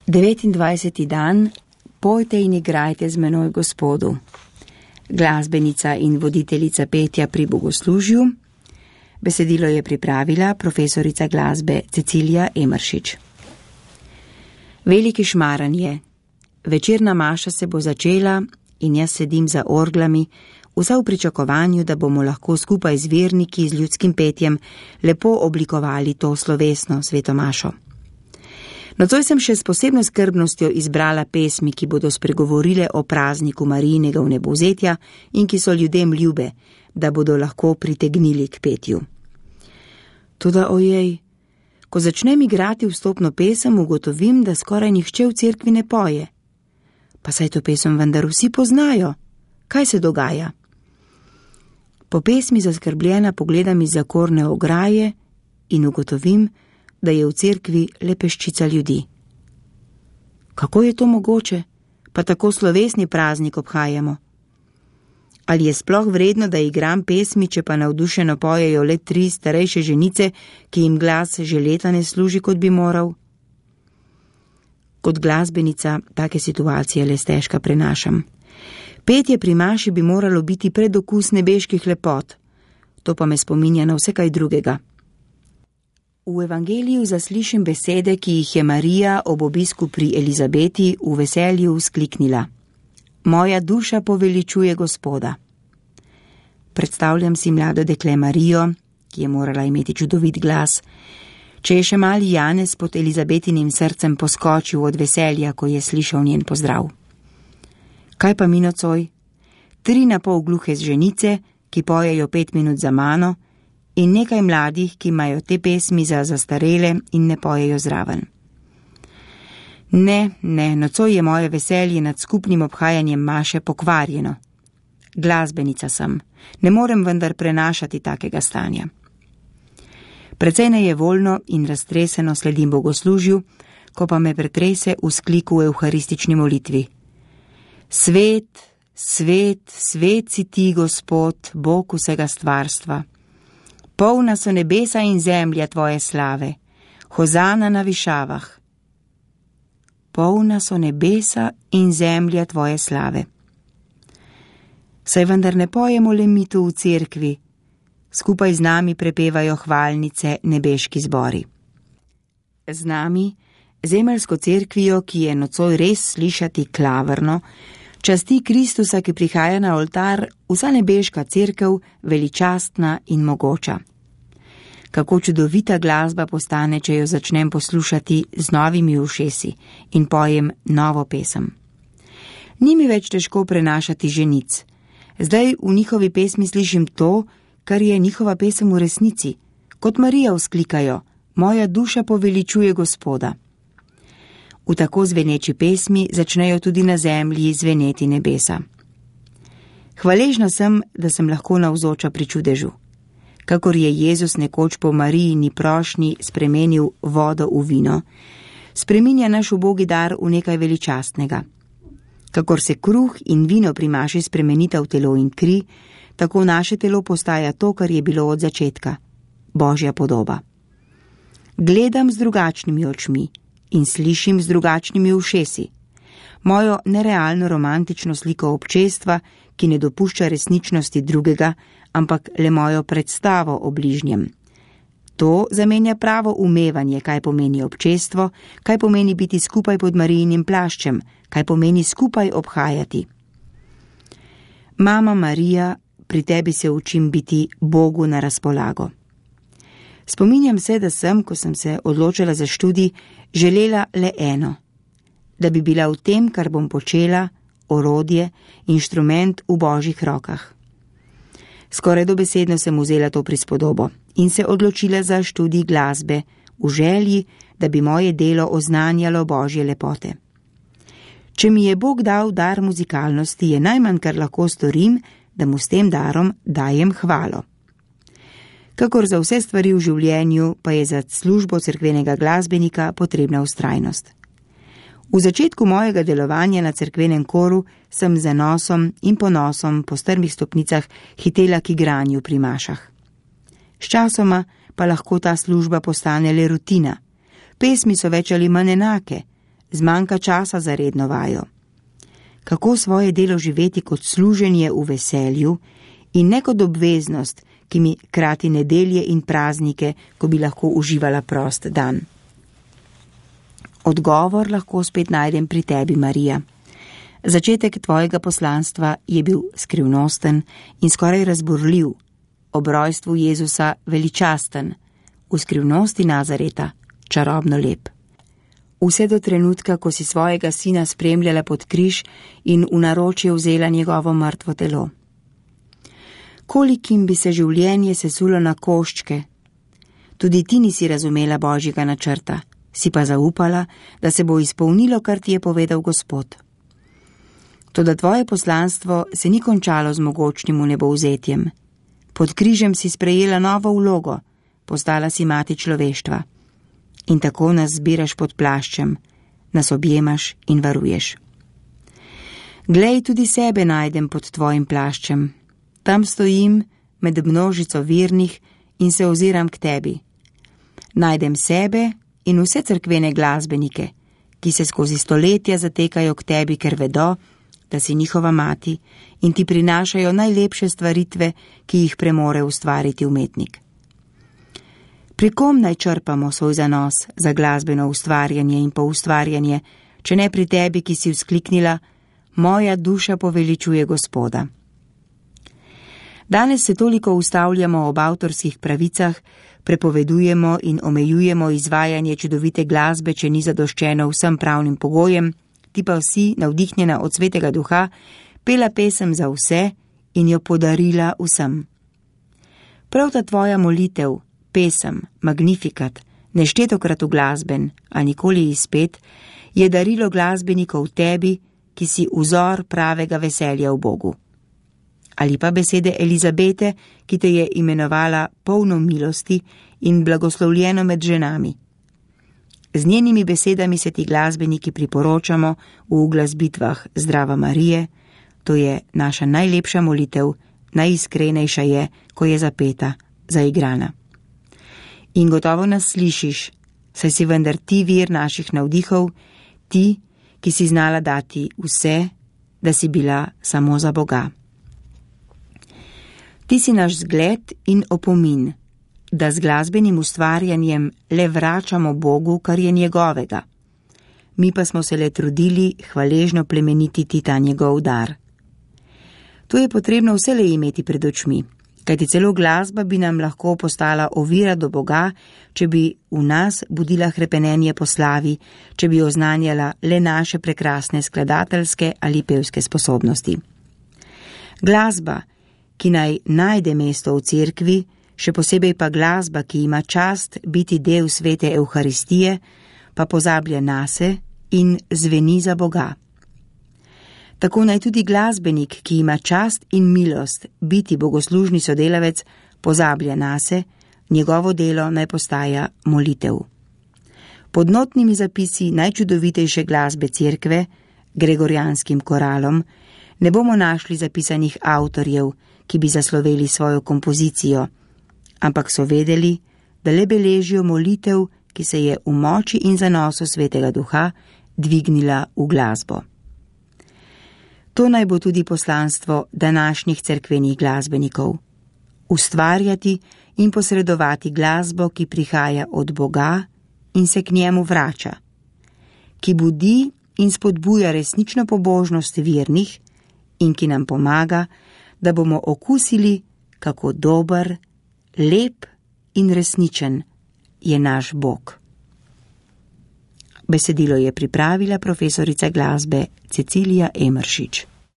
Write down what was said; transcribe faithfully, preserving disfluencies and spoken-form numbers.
devetindvajseti dan, pojte in igrajte z menoj Gospodu. Glasbenica in voditeljica petja pri bogoslužju. Besedilo je pripravila profesorica glasbe Cecilija Emeršič. Veliki šmaran je. Večerna maša se bo začela in jaz sedim za orglami, vsa v pričakovanju, da bomo lahko skupaj z verniki z ljudskim petjem lepo oblikovali to slovesno sveto mašo. Nocoj sem še s posebno skrbnostjo izbrala pesmi, ki bodo spregovorile o prazniku Marijinega vnebovzetja in ki so ljudem ljube, da bodo lahko pritegnili k petju. Toda ojej, ko začnem igrati vstopno pesem, ugotovim, da skoraj nihče v cerkvi ne poje. Pa saj to pesem vendar vsi poznajo. Kaj se dogaja? Po pesmi zaskrbljena pogledam iz zakorne ograje in ugotovim, da je v cerkvi le peščica ljudi. Kako je to mogoče? Pa tako slovesni praznik obhajamo. Ali je sploh vredno, da igram pesmi, če pa navdušeno pojejo le tri starejše ženice, ki jim glas že leta ne služi, kot bi moral? Kot glasbenica take situacije le stežka prenašam. Petje pri maši bi moralo biti predokus nebeških lepot. To pa me spominja na vse kaj drugega. V evangeliju zaslišim besede, ki jih je Marija ob obisku pri Elizabeti v veselju vzkliknila. Moja duša poveličuje Gospoda. Predstavljam si mlado dekle Marijo, ki je morala imeti čudovit glas. Če je še mali Janez pod Elizabetinim srcem poskočil od veselja, ko je slišal njen pozdrav. Kaj pa mi nocoj? Tri na pol gluhe ženice, ki pojejo pet minut za mano, in nekaj mladih, ki imajo te pesmi za zastarele in ne pojejo zraven. Ne, ne, nocoj je moje veselje nad skupnim obhajanjem maše pokvarjeno. Glasbenica sem, ne morem vendar prenašati takega stanja. Precej nejevoljno in raztreseno sledim bogoslužju, ko pa me pretrese v skliku v evharistični molitvi. Svet, svet, svet si ti, Gospod, Bog vsega stvarstva. Polna so nebesa in zemlja tvoje slave, hozana na višavah. Polna so nebesa in zemlja tvoje slave. Saj vendar ne pojemo le mi tu v cerkvi, skupaj z nami prepevajo hvalnice nebeški zbori. Z nami, zemeljsko cerkvijo, ki je nocoj res slišati klavrno, časti Kristusa, ki prihaja na oltar, vsa nebeška cerkev, veličastna in mogoča. Kako čudovita glasba postane, če jo začnem poslušati z novimi ušesi in pojem novo pesem. Ni mi več težko prenašati ženic. Zdaj v njihovi pesmi slišim to, kar je njihova pesem v resnici. Kot Marija vzklikajo, moja duša poveličuje Gospoda. V tako zveneči pesmi začnejo tudi na zemlji zveneti nebesa. Hvaležna sem, da sem lahko navzoča pri čudežu. Kakor je Jezus nekoč po Marijini prošnji spremenil vodo v vino, spreminja naš ubogi dar v nekaj veličastnega. Kakor se kruh in vino pri maši spremenita v telo in kri, tako naše telo postaja to, kar je bilo od začetka, Božja podoba. Gledam z drugačnimi očmi in slišim z drugačnimi ušesi. Mojo nerealno romantično sliko občestva, ki ne dopušča resničnosti drugega, ampak le mojo predstavo o bližnjem. To zamenja pravo umevanje, kaj pomeni občestvo, kaj pomeni biti skupaj pod Marijinim plaščem, kaj pomeni skupaj obhajati. Mama Marija, pri tebi se učim biti Bogu na razpolago. Spominjam se, da sem, ko sem se odločila za študij, želela le eno. Da bi bila v tem, kar bom počela, orodje, inštrument v Božjih rokah. Skoraj dobesedno sem vzela to prispodobo in se odločila za študij glasbe, v želji, da bi moje delo oznanjalo Božje lepote. Če mi je Bog dal dar muzikalnosti, je najmanj, kar lahko storim, da mu s tem darom dajem hvalo. Kakor za vse stvari v življenju, pa je za službo cerkvenega glasbenika potrebna vztrajnost. V začetku mojega delovanja na cerkvenem koru sem z zanosom in ponosom po strmih stopnicah hitela k igranju pri mašah. Sčasoma pa lahko ta služba postane le rutina. Pesmi so več ali manj enake, zmanjka časa za redno vajo. Kako svoje delo živeti kot služenje v veselju in ne kot obveznost, ki mi krati nedelje in praznike, ko bi lahko uživala prost dan. Odgovor lahko spet najdem pri tebi, Marija. Začetek tvojega poslanstva je bil skrivnosten in skoraj razburljiv, ob rojstvu Jezusa veličasten, v skrivnosti Nazareta čarobno lep. Vse do trenutka, ko si svojega sina spremljala pod križ in v naročje vzela njegovo mrtvo telo. Kolikim bi se življenje sesulo na koščke. Tudi ti nisi razumela Božjega načrta, si pa zaupala, da se bo izpolnilo, kar ti je povedal Gospod. Toda tvoje poslanstvo se ni končalo z mogočnim vnebovzetjem. Pod križem si sprejela novo vlogo, postala si mati človeštva. In tako nas zbiraš pod plaščem, nas objemaš in varuješ. Glej, tudi sebe najdem pod tvojim plaščem. Tam stojim med množico vernih in se oziram k tebi. Najdem sebe in vse cerkvene glasbenike, ki se skozi stoletja zatekajo k tebi, ker vedo, da si njihova mati in ti prinašajo najlepše stvaritve, ki jih premore ustvariti umetnik. Pri kom naj črpamo svoj zanos za glasbeno ustvarjanje in poustvarjanje, če ne pri tebi, ki si vzkliknila, moja duša poveličuje Gospoda. Danes se toliko ustavljamo ob avtorskih pravicah, prepovedujemo in omejujemo izvajanje čudovite glasbe, če ni zadoščeno vsem pravnim pogojem, ti pa vsi, navdihnjena od Svetega Duha, pela pesem za vse in jo podarila vsem. Prav ta tvoja molitev, pesem, magnifikat, neštetokrat uglasben, a nikoli izpet, je darilo glasbenikov tebi, ki si vzor pravega veselja v Bogu. Ali pa besede Elizabete, ki te je imenovala polno milosti in blagoslovljeno med ženami. Z njenimi besedami se ti glasbeniki priporočamo v uglasbitvah Zdrava Marije, to je naša najlepša molitev, najiskrenejša je, ko je zapeta, zaigrana. In gotovo nas slišiš, saj si vendar ti vir naših navdihov, ti, ki si znala dati vse, da si bila samo za Boga. Ti si naš zgled in opomin, da z glasbenim ustvarjanjem le vračamo Bogu, kar je njegovega. Mi pa smo se le trudili hvaležno plemenititi ta njegov dar. To je potrebno vselej imeti pred očmi, kajti celo glasba bi nam lahko postala ovira do Boga, če bi v nas budila hrepenenje po slavi, če bi oznanjala le naše prekrasne skladateljske ali pevske sposobnosti. Glasba, ki naj najde mesto v cerkvi, še posebej pa glasba, ki ima čast biti del svete Evharistije, pa pozablja nase in zveni za Boga. Tako naj tudi glasbenik, ki ima čast in milost biti bogoslužni sodelavec, pozablja nase, njegovo delo naj postaja molitev. Pod notnimi zapisi najčudovitejše glasbe cerkve, gregorijanskim koralom, ne bomo našli zapisanih avtorjev, ki bi zasloveli svojo kompozicijo, ampak so vedeli, da le beležijo molitev, ki se je v moči in zanosu Svetega Duha dvignila v glasbo. To naj bo tudi poslanstvo današnjih cerkvenih glasbenikov. Ustvarjati in posredovati glasbo, ki prihaja od Boga in se k njemu vrača, ki budi in spodbuja resnično pobožnost vernih in ki nam pomaga, da bomo okusili, kako dober, lep in resničen je naš Bog. Besedilo je pripravila profesorica glasbe Cecilija Emeršič.